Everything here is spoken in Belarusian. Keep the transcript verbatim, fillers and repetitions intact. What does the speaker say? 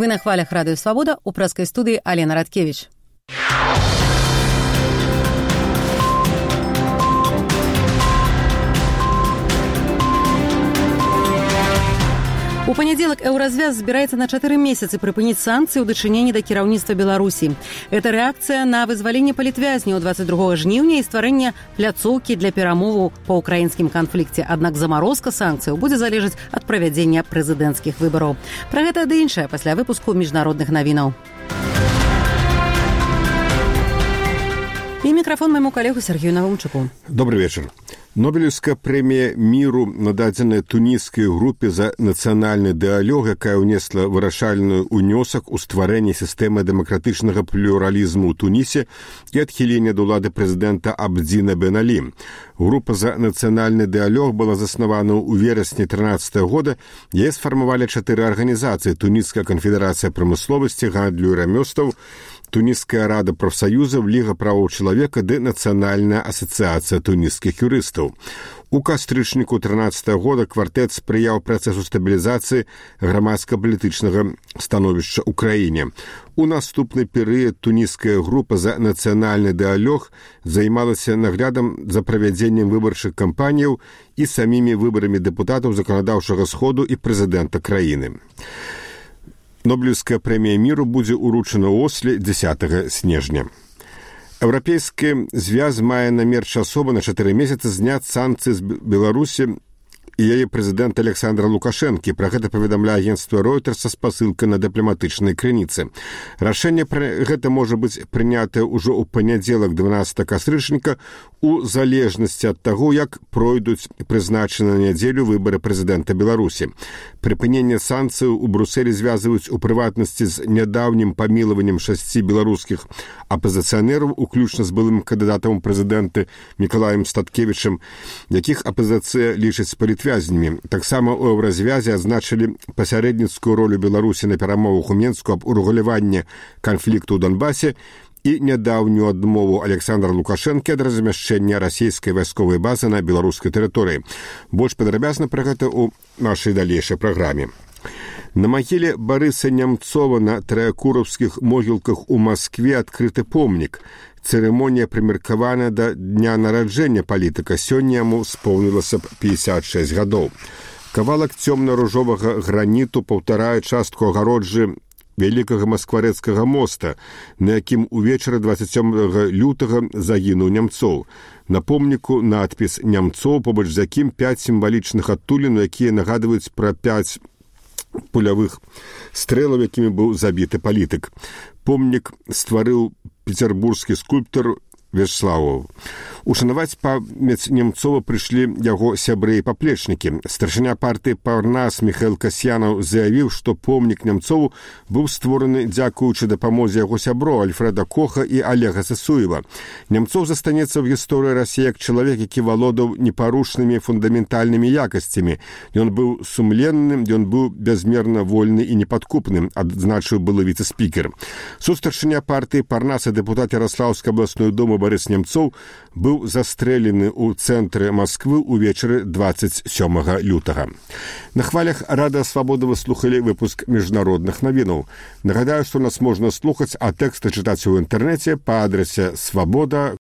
Вы на хвалях Радио Свобода, у прэскай студыі Алена Радкевич. У панядзелак Еўразвяз збіраецца на чатыры месяцы прыпыніць санкцыі ў дачыненні да кіраўніцтва Беларусі. Это рэакцыя на вызваленне палітвязняў дваццаць другога жніўня і стварэнне пляцоўкі для перамоваў па ўкраінскім канфлікце. Аднак замарозка санкцыяў будзе залежаць ад правядзення прэзідэнцкіх выбараў. Пра гэта ды іншае пасля выпуску міжнародных навінаў. І мікрафон майму калегу Сергею Навумчуку. Добрый вечер. Нобелевская премия миру нададзеная тунісскай групе за нацыянальны дыалог, якая ўнесла вырашальны ўнёсак у стварэнне сістэмы дэмакратычнага плюралізму ў Тунісе і адхілення ад улады прэзідэнта Абдзіна Бен Алі. Група за нацыянальны дыалог была заснавана ў верасні трынаццатага года. Яе сфармавалі чатыры арганізацыі: Туніская канфедэрацыя прамысловасці, гандлю і рамёстваў, Тунісская рада прафсаюзаў, Ліга правоў чалавека ды Нацыянальная асацыяцыя тунісскіх юрыстаў. У кастрычніку трынаццатага года квартэт спрыяў працэсу стабілізацыі грамадска-палітычнага становішча ў краіне. У наступны перыяд тунісская група за нацыянальны дыалог займалася наглядам за правядзеннем выбарчых кампаніяў і самімі выбарамі дэпутатаў заканадаўчага сходу і прэзідэнта краіны. Нобелевская премия миру будзе уручана ў Осле дзесятага снежня. Еўрапейскі звяз мае намер часова на чатыры месяцы зняць санкцыі з Беларусі і яе прэзідэнта Александра Лукашэнкі. Пра гэта паведамляе агенцтва Reuters са спасылкай на дыпламатычнай крыніцы. Рашэнне пра гэта можа быць прынятае ўжо ў панядзелак дванаццатага кастрычніка у залежнасці ад таго, як пройдуць прызначаны на нядзелю выбары прэзідэнта Беларусі. Прыпыненне санкцыяў у Брусэлі звязваюць у прыватнасці з нядаўнім памілаваннем шасці беларускіх апазіцыянераў, уключна з былым кандыдатам у прэзідэнты Мікалаем Статкевічам, якіх апазіцыя лічыць палітвязнямі. Таксама ў Еўразвязе адзначылі пасярэдніцкую ролю Беларусі на перамовах у Менску аб урэгуляванні канфлікту ў Донбасе і нядаўнюю адмову Александра Лукашэнкі ад размяшчэння расійскай вайсковай базы на беларускай тэрыторыі. Больш падрабязна пра гэта ў нашай далейшай праграме. На магіле Барыса Нямцова на траякураўскіх могілках у Маскве адкрыты помнік. Цырымонія прымеркавана да дня нараджэння палітыка. Сёння яму споўнілася б пятьдесят шесть гадоў. Кавалак цёмна-ружовага граніту паўтарае частку агароджы вялікага маскварэцкага моста, на якім увечары дваццаць сёмага лютага загінуў Нямцоў. На помніку надпіс «Нямцоў», побач з якім пяць сімвалічных адтулін, якія нагадваюць пра пяць пулявых стрэлаў, якімі быў забіты палітык. Помнік стварыў пецярбургскі скульптар Вячеславов. Ушанаваць памяць Нямцова прыйшлі яго сябры і паплечнікі. Старшыня партыі Парнас Міхаіл Касьянаў заявіў, што помнік Нямцову быў створаны дзякуючы дапамозе яго сяброў Альфрэда Коха і Олега Сысуева. Нямцов застанецца ў гісторыі Расіі як чалавек, які валодаў непарушнымі фундаментальнымі якасцямі. Ён быў сумленным, ён быў бязмерна вольны і непадкупным, адзначыў былы віцэ-спікер. Сустаршыня партыі Парнас і дэпутат Ярослаўскай абласной думы Барыс Нямцоў быў застрэлены ў цэнтры Масквы ўвечары дваццаць сёмага лютага. На хвалях Радыё Свабода вы слухалі выпуск міжнародных навінаў. Нагадаю, што нас можна слухаць, а тэксты чытаць у інтэрнэце па адрасе свабода